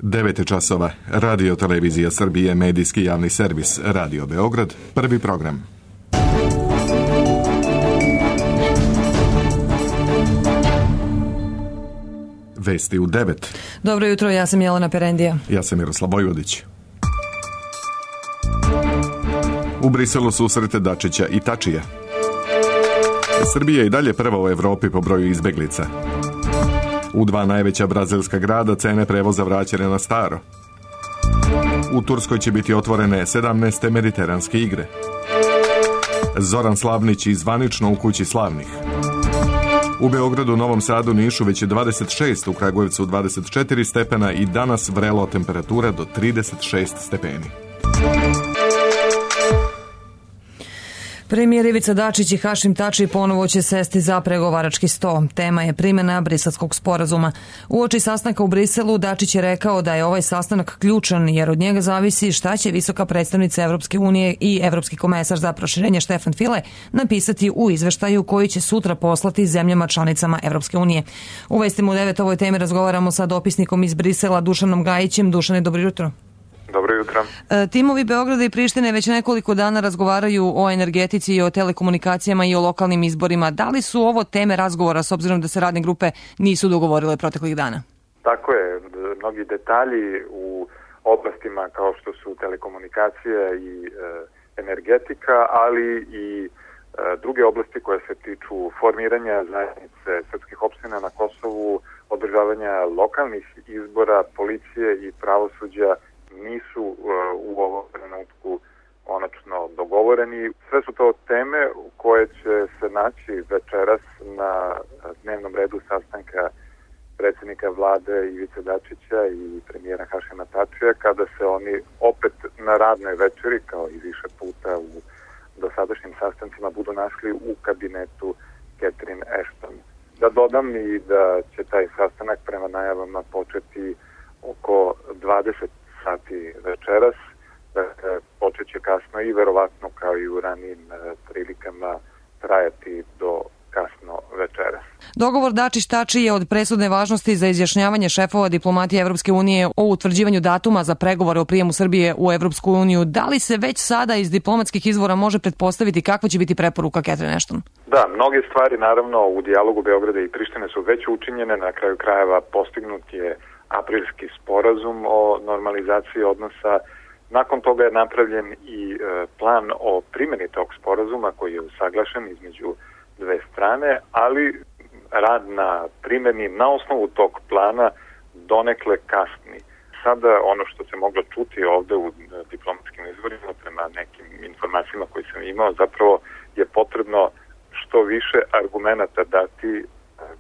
9 časova. Radio Televizija Srbije, medijski javni servis, Radio Beograd, prvi program. Vesti u 9. Dobro jutro, ja sam Jelena Perendija. Ja sam Miroslav Vojvodić. U Briselu susrete Dačića i Tačija. Srbija je i dalje prva u Evropi po broju izbeglica. U 2 najveća brazilska grada cene prevoza vraćene na staro. U Turskoj će biti otvorene 17. mediteranske igre. Zoran Slavnić i zvanično u kući slavnih. U Beogradu, Novom Sadu, Nišu već je 26, u Kragujevcu 24 stepena i danas vrelo temperatura do 36 stepeni. Premijer Ivica Dačić i Hašim Tači ponovo će sesti za pregovarački sto. Tema je primjena Briselskog sporazuma. Uoči sastanka u Briselu Dačić je rekao da je ovaj sastanak ključan jer od njega zavisi šta će visoka predstavnica Evropske unije i evropski komesar za proširenje Štefan File napisati u izveštaju koji će sutra poslati zemljama članicama Evropske unije. U vestima u 9 ovoj temi razgovaramo sa dopisnikom iz Brisela Dušanom Gajićem. Dušane, dobro jutro. Dobro jutro. Timovi Beograda i Prištine već nekoliko dana razgovaraju o energetici i o telekomunikacijama i o lokalnim izborima. Da li su ovo teme razgovora s obzirom da se radne grupe nisu dogovorile proteklih dana? Tako je. Mnogi detalji u oblastima kao što su telekomunikacije i energetika, ali i druge oblasti koje se tiču formiranja zajednice srpskih opština na Kosovu, održavanja lokalnih izbora, policije i pravosuđa nisu u ovom trenutku konačno dogovoreni. Sve su to teme koje će se naći večeras na dnevnom redu sastanka predsjednika vlade Ivice Dačića i premijera Hašima Tačija, kada se oni opet na radnoj večeri, kao i više puta u dosadašnjim sastancima, budu našli u kabinetu Catherine Ashton. Da dodam i da će taj sastanak prema najavama početi oko 20 sati večeras, počet će kasno i verovatno kao i u ranijim prilikama trajati do kasno večeras. Dogovor Dačić-Tači je od presudne važnosti za izjašnjavanje šefova diplomatije Evropske unije o utvrđivanju datuma za pregovore o prijemu Srbije u Evropsku uniju. Da li se već sada iz diplomatskih izvora može pretpostaviti kakva će biti preporuka Catherine Ashton? Da, mnoge stvari naravno u dijalogu Beograda i Prištine su već učinjene, na kraju krajeva postignut je aprilski sporazum o normalizaciji odnosa. Nakon toga je napravljen i plan o primjeni tog sporazuma koji je usaglašen između dve strane, ali rad na primjeni na osnovu tog plana donekle kasni. Sada ono što se moglo čuti ovde u diplomatskim izvorima, prema nekim informacijama koje sam imao, zapravo je potrebno što više argumenata dati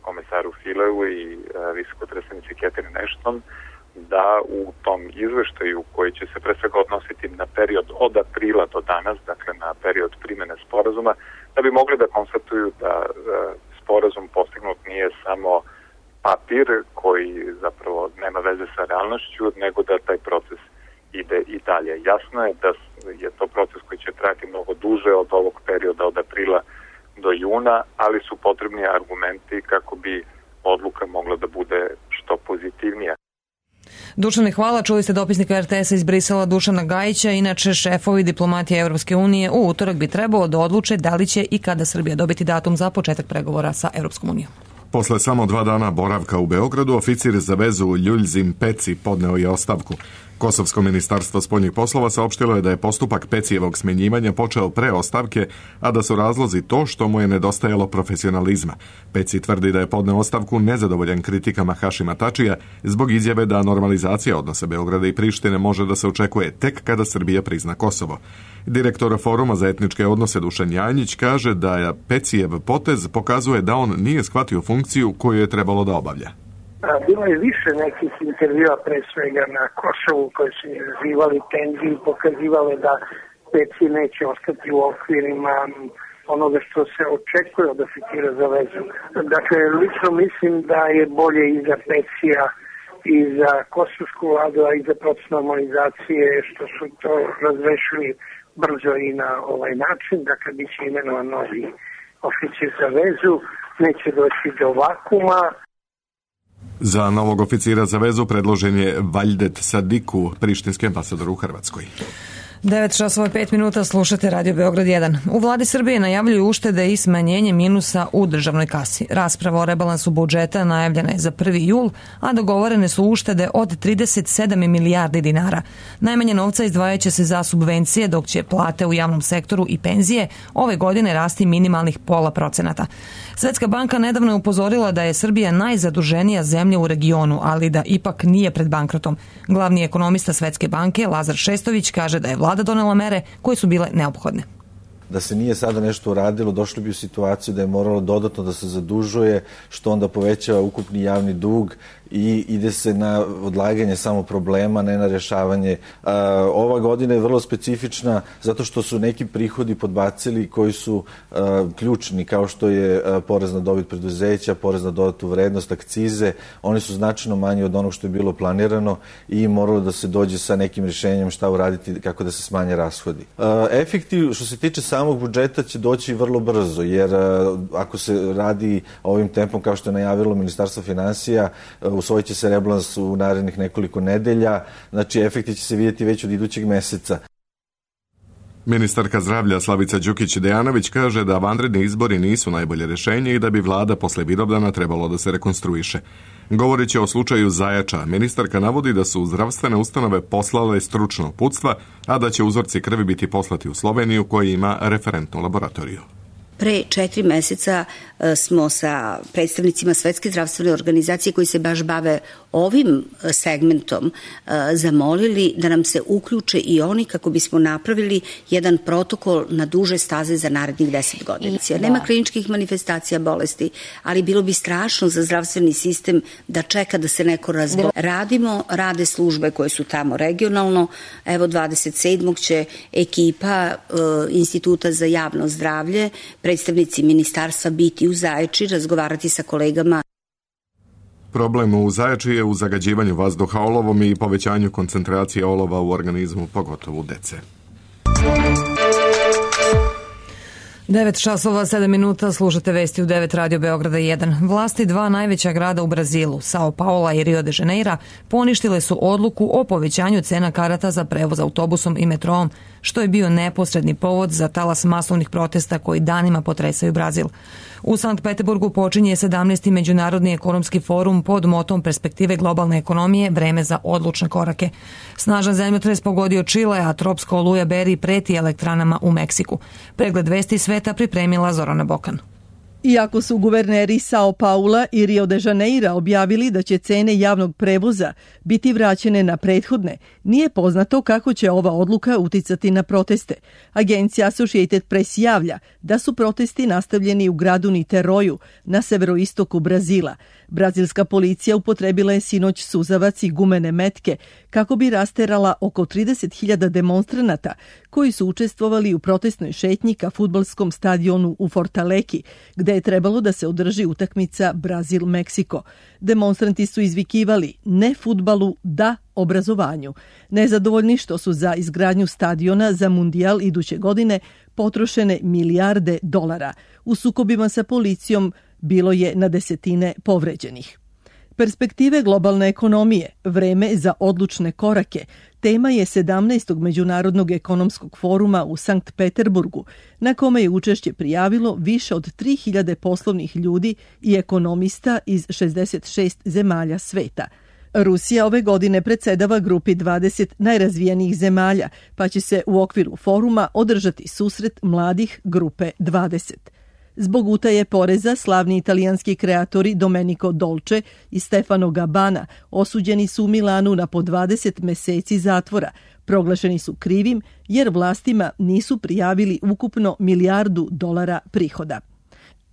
komesaru Fileu i visokoj predstavnici Catherine Ashton da u tom izveštaju koji će se pre svega odnositi na period od aprila do danas, dakle na period primjene sporazuma, da bi mogli da konstatuju da sporazum postignut nije samo papir koji zapravo nema veze sa realnošću, nego da taj proces ide i dalje. Jasno je da je to proces koji će trajati mnogo duže od ovog perioda od aprila do juna, ali su potrebni argumenti kako bi odluka mogla da bude što pozitivnija. Dušane, hvala. Čuli ste dopisnika RTS-a iz Brisela Dušana Gajića. Inače, šefovi diplomatije Evropske unije u utorak bi trebalo da odluče da li će i kada Srbija dobiti datum za početak pregovora sa Evropskom unijom. Posle samo 2 dana boravka u Beogradu, oficir za vezu Ljuljzim Peci podneo je ostavku. Kosovsko ministarstvo spoljnih poslova saopštilo je da je postupak Pecijevog smenjivanja počeo pre ostavke, a da su razlozi to što mu je nedostajalo profesionalizma. Peci tvrdi da je podneo ostavku nezadovoljan kritikama Hašima Tačija zbog izjave da normalizacija odnosa Beograda i Prištine može da se očekuje tek kada Srbija prizna Kosovo. Direktor Foruma za etničke odnose Dušan Janjić kaže da je Pecijev potez pokazuje da on nije shvatio funkciju koju je trebalo da obavlja. Bilo je više nekih intervjua pre svega na Kosovu koji su izazivali tenziju, pokazivale da Peci neće ostati u okvirima onoga što se očekuje od oficira za vezu. Dakle, lično mislim da je bolje i za Pecija i za kosovsku vladu, a i za proces normalizacije što su to razrešili brzo i na ovaj način. Dakle, bit će imenovan novi oficir za vezu, neće doći do vakuma. Za novog oficira za vezu predložen je Valdet Sadiku, prištinski ambasador u Hrvatskoj. 9:05 slušate Radio Beograd 1. U vladi Srbije najavljuju uštede i smanjenje minusa u državnoj kasi. Rasprava o rebalansu budžeta najavljena je za 1. jul, a dogovorene su uštede od 37 milijardi dinara. Najmanje novca izdvajaće se za subvencije, dok će plate u javnom sektoru i penzije ove godine rasti minimalnih 0,5%. Svetska banka nedavno je upozorila da je Srbija najzaduženija zemlja u regionu, ali da ipak nije pred bankrotom. Glavni ekonomista Svetske banke, Lazar Šestović, kaže da je vlada donela mere koje su bile neophodne. Da se nije sada nešto uradilo, došli bi u situaciju da je moralo dodatno da se zadužuje, što onda povećava ukupni javni dug i ide se na odlaganje samo problema, ne na rješavanje. Ova godina je vrlo specifična zato što su neki prihodi podbacili koji su ključni, kao što je porez na dobit preduzeća, porez na dodatu vrednost, akcize. Oni su značajno manji od onog što je bilo planirano i moralo da se dođe sa nekim rješenjem šta uraditi, kako da se smanje rashodi. Efekti što se tiče samog budžeta će doći vrlo brzo, jer ako se radi ovim tempom kao što je najavilo Ministarstvo finansija, usvojit će se rebalans u narednih nekoliko nedelja, znači efekti će se vidjeti već od idućeg meseca. Ministarka zdravlja Slavica Đukić-Dejanović kaže da vanredni izbori nisu najbolje rješenje i da bi vlada posle Vidovdana trebalo da se rekonstruiše. Govoreći o slučaju Zajača, ministarka navodi da su zdravstvene ustanove poslale stručno uputstva, a da će uzorci krvi biti poslati u Sloveniju koja ima referentnu laboratoriju. Pre 4 meseca smo sa predstavnicima Svetske zdravstvene organizacije koji se baš bave ovim segmentom zamolili da nam se uključe i oni kako bismo napravili jedan protokol na duže staze za narednih 10 godina. Nema kliničkih manifestacija bolesti, ali bilo bi strašno za zdravstveni sistem da čeka da se neko razboli. Rade službe koje su tamo regionalno. Evo 27. će ekipa Instituta za javno zdravlje, predstavnici ministarstva biti u Zaječari, razgovarati sa kolegama. Problem u Zajači je u zagađivanju vazduha olovom i povećanju koncentracije olova u organizmu, pogotovo u dece. 9:07 slušate vesti u 9 Radio Beograda 1. Vlasti dva najveća grada u Brazilu, Sao Paula i Rio de Janeiro, poništile su odluku o povećanju cena karata za prevoz autobusom i metroom, što je bio neposredni povod za talas masovnih protesta koji danima potresaju Brazil. U Sankt Peterburgu počinje 17. Međunarodni ekonomski forum pod motom perspektive globalne ekonomije, vreme za odlučne korake. Snažan zemljotres pogodio Čile, a tropska oluja Beri preti elektranama u Meksiku. Pregled vesti sveta pripremila Zorana Bokan. Iako su guverneri Sao Paula i Rio de Janeiro objavili da će cene javnog prevoza biti vraćene na prethodne, nije poznato kako će ova odluka uticati na proteste. Agencija Associated Press javlja da su protesti nastavljeni u gradu Niteroju na severoistoku Brazila. Brazilska policija upotrebila je sinoć suzavac i gumene metke kako bi rasterala oko 30.000 demonstranata koji su učestvovali u protestnoj šetnji ka fudbalskom stadionu u Fortaleki, gde je trebalo da se održi utakmica Brazil-Meksiko. Demonstranti su izvikivali ne fudbalu, da obrazovanju. Nezadovoljni što su za izgradnju stadiona za mundijal iduće godine potrošene milijarde dolara. U sukobima sa policijom bilo je na desetine povređenih. Perspektive globalne ekonomije, vreme za odlučne korake, tema je 17. Međunarodnog ekonomskog foruma u Sankt Peterburgu, na kome je učešće prijavilo više od 3000 poslovnih ljudi i ekonomista iz 66 zemalja sveta. Rusija ove godine predsedava grupi 20 najrazvijenijih zemalja, pa će se u okviru foruma održati susret mladih grupe 20. Zbog utaje poreza, slavni italijanski kreatori Domenico Dolce i Stefano Gabbana osuđeni su u Milanu na po 20 meseci zatvora. Proglašeni su krivim jer vlastima nisu prijavili ukupno milijardu dolara prihoda.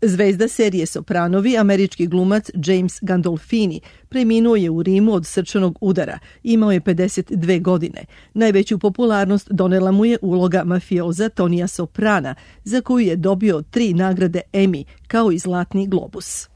Zvezda serije Sopranovi, američki glumac James Gandolfini, preminuo je u Rimu od srčanog udara. Imao je 52 godine. Najveću popularnost donela mu je uloga mafioza Tonija Soprana, za koju je dobio 3 nagrade Emmy, kao i Zlatni globus.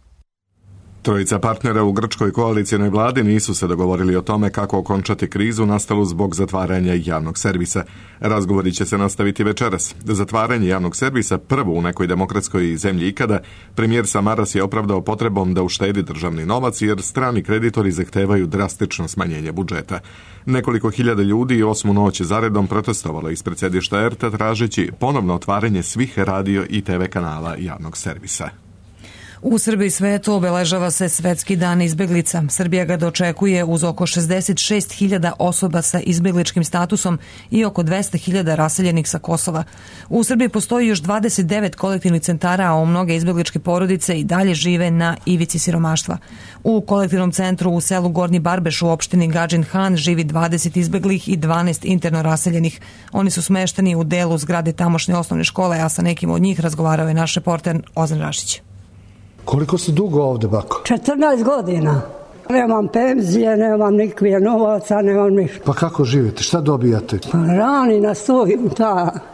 Trojica partnera u grčkoj koalicionoj vladi nisu se dogovorili o tome kako okončati krizu nastalu zbog zatvaranja javnog servisa. Razgovori će se nastaviti večeras. Zatvaranje javnog servisa, prvo u nekoj demokratskoj zemlji ikada, premijer Samaras je opravdao potrebom da uštedi državni novac jer strani kreditori zahtevaju drastično smanjenje budžeta. Nekoliko hiljada ljudi 8. noć zaredom protestovalo ispred sedišta RT tražeći ponovno otvaranje svih radio i TV kanala javnog servisa. U Srbiji svetu obeležava se Svetski dan izbeglica. Srbija ga dočekuje uz oko 66.000 osoba sa izbegličkim statusom i oko 200.000 raseljenih sa Kosova. U Srbiji postoji još 29 kolektivnih centara, a mnoge izbegličke porodice i dalje žive na ivici siromaštva. U kolektivnom centru u selu Gornji Barbeš u opštini Gadžin Han živi 20 izbeglih i 12 interno raseljenih. Oni su smešteni u delu zgrade tamošnje osnovne škole, a sa nekim od njih razgovarao je naš reporter Ozan Rašić. Koliko ste dugo ovde, bako? 14 godina. Nemam penzije, nemam nikakve novaca, nemam ništa. Pa kako živite? Šta dobijate? Pa rani nas tu,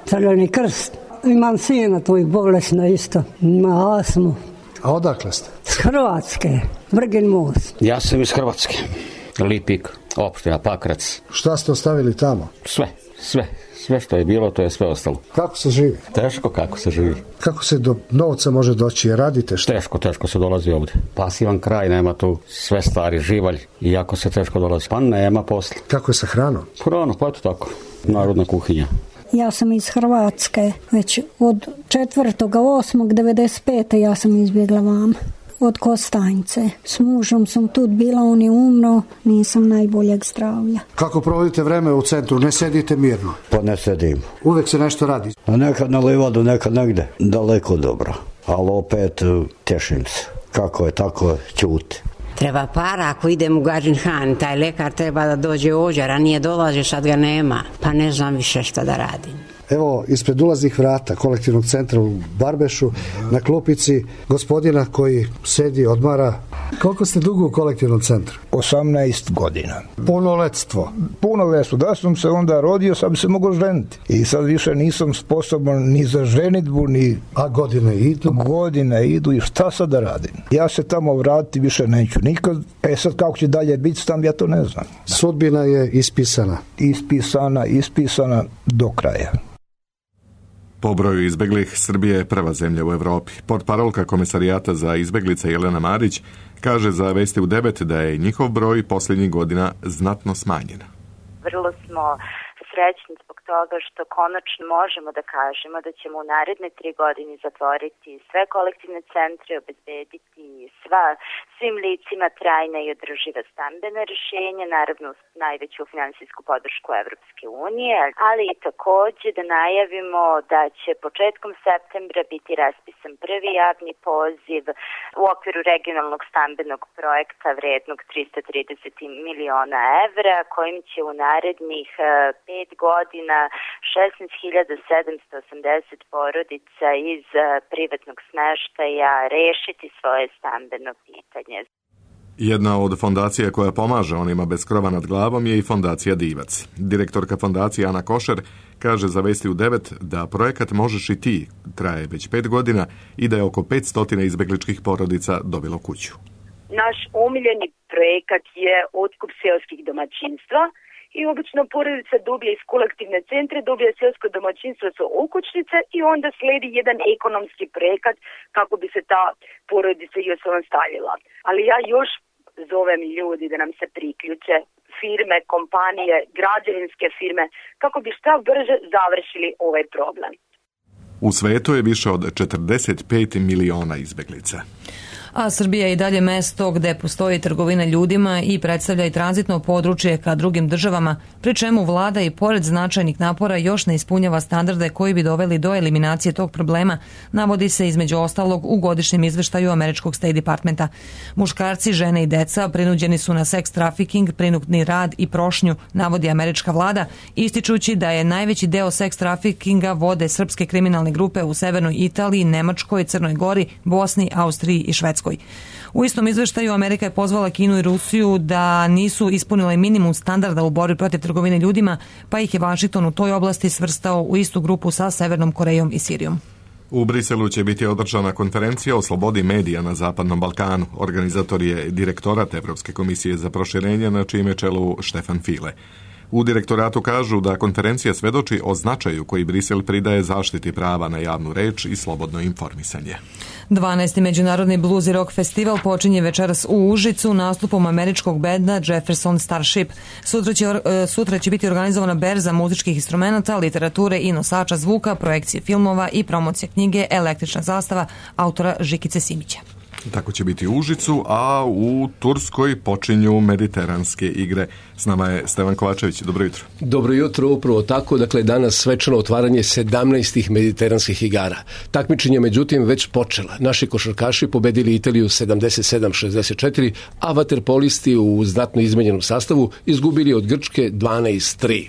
Crveni krst. Imam sina tu i bolesna isto. Ima astmu. A odakle ste? S Hrvatske, Vrgin most. Ja sam iz Hrvatske. Lipik, opština Pakrac. Šta ste ostavili tamo? Sve što je bilo, to je sve ostalo. Kako se živi? Teško kako se živi. Kako se do novca može doći? Radite što? Teško se dolazi ovde. Pasivan kraj, nema tu sve stari živalj i jako se teško dolazi. Pa nema posla. Kako je sa hranom? Hrano, pa eto tako. Narodna kuhinja. Ja sam iz Hrvatske. Već od 4.8.95. ja sam izbjegla vama. Od Kostajnice. S mužom sam tu bila, on je umro, nisam najboljeg zdravlja. Kako provodite vreme u centru? Ne sedite mirno? Pa ne sedim. Uvek se nešto radi? A nekad na livadu, nekad negde. Daleko dobro. Ali opet tešim se. Kako je, tako ćuti. Treba para ako idem u Gadžin Han, taj lekar treba da dođe ovdje, ranije dolazi, sad ga nema. Pa ne znam više šta da radim. Evo, ispred ulaznih vrata kolektivnog centra u Barbešu, na klupici gospodina koji sedi, odmara. Koliko ste dugo u kolektivnom centru? 18 godina. Punoletstvo? Punoletstvo. Da sam se onda rodio, sad bi se mogao ženiti. I sad više nisam sposoban ni za ženitbu, ni... A godine idu? Godine idu i šta sad da radim? Ja se tamo vratiti više neću nikad. Sad kako će dalje biti tam, ja to ne znam. Sudbina je ispisana? Ispisana do kraja. Po broju izbeglih, Srbija je prva zemlja u Evropi. Portparolka Komesarijata za izbeglice Jelena Marić kaže za Vesti u 9 da je njihov broj posljednjih godina znatno smanjen. Vrlo smo srećni zbog toga što konačno možemo da kažemo da ćemo u naredne 3 godine zatvoriti sve kolektivne centre, obezbediti svim licima trajna i održiva stambena rješenja, naravno najveću finansijsku podršku Evropske unije, ali i takođe da najavimo da će početkom septembra biti raspisan prvi javni poziv u okviru regionalnog stambenog projekta vrednog 330 miliona evra, kojim će u narednih 5 godina 16.780 porodica iz privatnog smeštaja rešiti svoje stambeno pitanje. Jedna od fondacija koja pomaže onima bez krova nad glavom je i fondacija Divac. Direktorka fondacije Ana Košer kaže za Vesti u 9 da projekat Možeš i ti traje već 5 godina i da je oko 500 izbegličkih porodica dobilo kuću. Naš omiljeni projekat je otkup seoskih domaćinstva i obično porodica dobije iz kolektivne centre, dobije seosko domaćinstvo sa okućnice i onda sledi jedan ekonomski projekat kako bi se ta porodica i osamostalila. Ali ja još zovem ljudi da nam se priključe, firme, kompanije, građevinske firme, kako bi šta brže završili ovaj problem. U svetu je više od 45 miliona izbeglica. A Srbija je i dalje mesto gde postoji trgovina ljudima i predstavlja i tranzitno područje ka drugim državama, pri čemu vlada i pored značajnih napora još ne ispunjava standarde koji bi doveli do eliminacije tog problema, navodi se između ostalog u godišnjem izveštaju američkog State Departmenta. Muškarci, žene i deca prinuđeni su na seks trafiking, prinudni rad i prošnju, navodi američka vlada, ističući da je najveći deo seks trafikinga vode srpske kriminalne grupe u severnoj Italiji, Nemačkoj, Crnoj Gori, Bosni, Austriji i Švedskoj. U istom izveštaju Amerika je pozvala Kinu i Rusiju da nisu ispunile minimum standarda u borbi protiv trgovine ljudima, pa ih je Vašington u toj oblasti svrstao u istu grupu sa Severnom Korejom i Sirijom. U Briselu će biti održana konferencija o slobodi medija na Zapadnom Balkanu. Organizator je direktorat Evropske komisije za proširenje, na čijem je čelu Štefan File. U direktoratu kažu da konferencija svedoči o značaju koji Brisel pridaje zaštiti prava na javnu reč i slobodno informisanje. 12. Međunarodni blues i rock festival počinje večeras u Užicu nastupom američkog benda Jefferson Starship. Sutra će biti organizovana berza muzičkih instrumenata, literature i nosača zvuka, projekcije filmova i promocija knjige Električna zastava autora Žikice Simića. Tako će biti u Užicu, a u Turskoj počinju mediteranske igre. S nama je Stevan Kovačević. Dobro jutro. Dobro jutro, upravo tako. Dakle, danas svečano otvaranje 17. mediteranskih igara. Takmičenje, međutim, već počela. Naši košarkaši pobedili Italiju 77-64, a vaterpolisti u znatno izmenjenom sastavu izgubili od Grčke 12-3.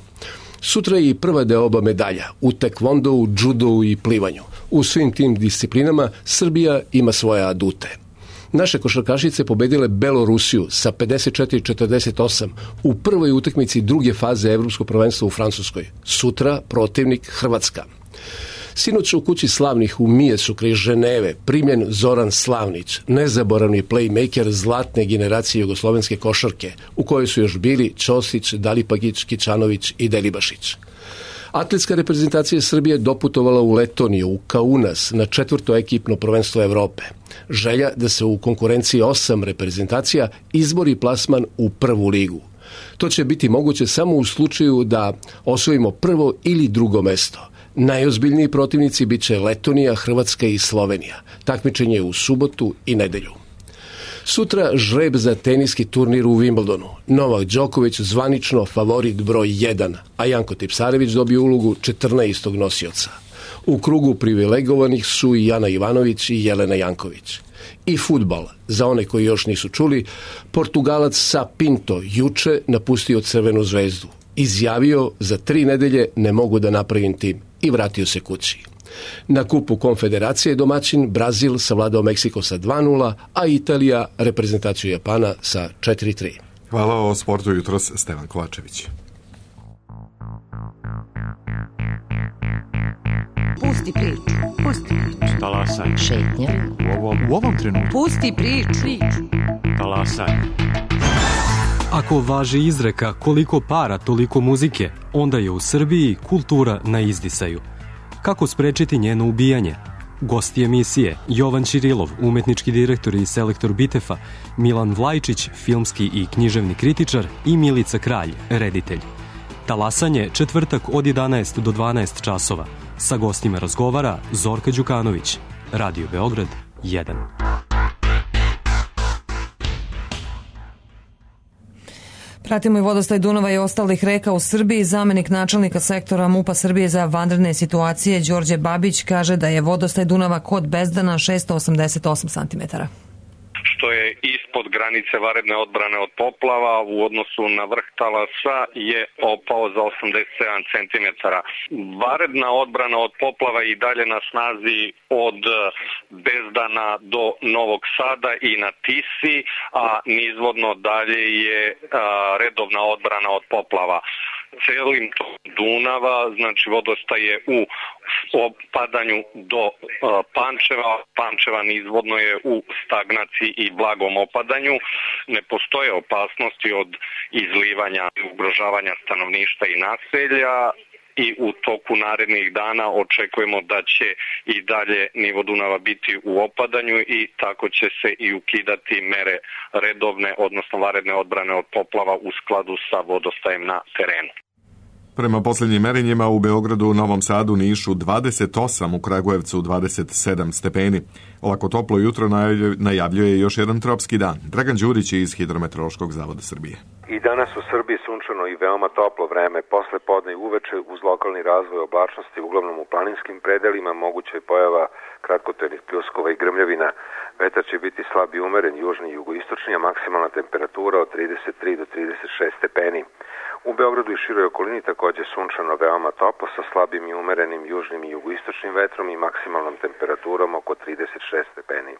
Sutra je i prva deoba medalja u tekvondou, džudou i plivanju. U svim tim disciplinama Srbija ima svoje adute. Naše košarkašice pobedile Belorusiju sa 54-48 u prvoj utakmici druge faze Evropskog prvenstva u Francuskoj. Sutra protivnik Hrvatska. Sinoć u kući slavnih u Mijesu kraj Ženeve primljen Zoran Slavnić, nezaboravni playmaker zlatne generacije jugoslovenske košarke, u kojoj su još bili Ćosić, Dalipagić, Kičanović i Delibašić. Atletska reprezentacija Srbije doputovala u Letoniju, u Kaunas, na 4. ekipno prvenstvo Evrope. Želja da se u konkurenciji 8 reprezentacija izbori plasman u prvu ligu. To će biti moguće samo u slučaju da osvojimo prvo ili drugo mesto. Najozbiljniji protivnici bit će Letonija, Hrvatska i Slovenija. Takmičenje je u subotu i nedelju. Sutra žreb za teniski turnir u Wimbledonu. Novak Đoković zvanično favorit broj 1, a Janko Tipsarević dobio ulogu 14. nosioca. U krugu privilegovanih su i Jana Ivanović i Jelena Janković. I fudbal, za one koji još nisu čuli, Portugalac Sa Pinto juče napustio Crvenu zvezdu. Izjavio, za 3 nedelje ne mogu da napravim tim, i vratio se kući. Na kupu Konfederacije domaćin Brazil savladao Meksiko sa 2-0, a Italija reprezentaciju Japana sa 4-3. Hvala o sportu jutros, Stevan Kovačević. Pusti priču. Talasaj. Šetnja. U ovom trenutku. Pusti priču. Talasaj. Ako važi izreka koliko para, toliko muzike, onda je u Srbiji kultura na izdisaju. Kako sprečiti njeno ubijanje? Gosti emisije Jovan Ćirilov, umetnički direktor i selektor Bitefa, Milan Vlajčić, filmski i književni kritičar i Milica Kralj, reditelj. Talasanje četvrtak od 11 do 12 časova. Sa gostima razgovara Zorka Đukanović. Radio Beograd 1. Pratimo i vodostaj Dunava i ostalih reka u Srbiji. Zamenik načelnika sektora MUP-a Srbije za vanredne situacije Đorđe Babić kaže da je vodostaj Dunava kod Bezdana 688 cm. Što je ispod granice vanredne odbrane od poplava u odnosu na vrh talasa je opao za 87 cm. Vanredna odbrana od poplava i dalje na snazi od Bezdana do Novog Sada i na Tisi, a nizvodno dalje je redovna odbrana od poplava. Celim Dunava, znači vodostaj je u opadanju do Pančeva nizvodno je u stagnaciji i blagom opadanju. Ne postoje opasnosti od izlivanja i ugrožavanja stanovništva i naselja i u toku narednih dana očekujemo da će i dalje nivo Dunava biti u opadanju i tako će se i ukidati mere redovne, odnosno vanredne odbrane od poplava u skladu sa vodostajem na terenu. Prema posljednjim merenjima u Beogradu, Novom Sadu, Nišu 28, u Kragujevcu 27 stepeni. Ovako toplo jutro najavljuje još jedan tropski dan. Dragan Đurić iz Hidrometeorološkog zavoda Srbije. I danas u Srbiji sunčano i veoma toplo vreme. Posle podne i uveče uz lokalni razvoj oblačnosti, uglavnom u planinskim predelima, moguća je pojava kratkotrajnih pljuskova i grmljavina. Vetar će biti slab i umeren, južni i jugoistočni, a maksimalna temperatura od 33 do 36 stepeni. U Beogradu i široj okolini takođe sunčano veoma toplo sa slabim i umerenim južnim i jugoistočnim vetrom i maksimalnom temperaturom oko 36 stepeni.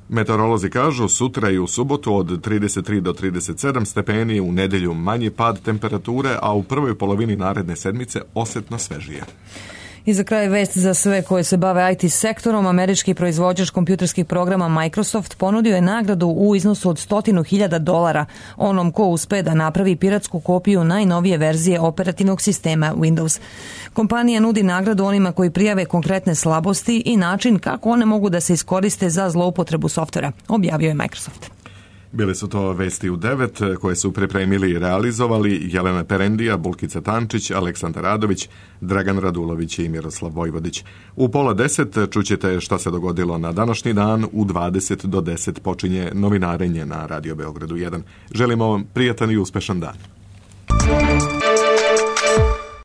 Meteorolozi kažu sutra i u subotu od 33 do 37 stepeni, u nedelju manji pad temperature, a u prvoj polovini naredne sedmice osetno svežije. I za kraj vest za sve koje se bave IT sektorom. Američki proizvođač kompjuterskih programa Microsoft ponudio je nagradu u iznosu od $100.000 onom ko uspe da napravi piratsku kopiju najnovije verzije operativnog sistema Windows. Kompanija nudi nagradu onima koji prijave konkretne slabosti i način kako one mogu da se iskoriste za zloupotrebu softvera, objavio je Microsoft. Bili su to vesti u 9 koje su pripremili i realizovali Jelena Perendija, Bulkica Tančić, Aleksandar Radović, Dragan Radulović i Miroslav Vojvodić. U 9:30 čućete šta se dogodilo na današnji dan. U 20 do 10 počinje novinarenje na Radio Beogradu 1. Želimo vam prijatan i uspešan dan.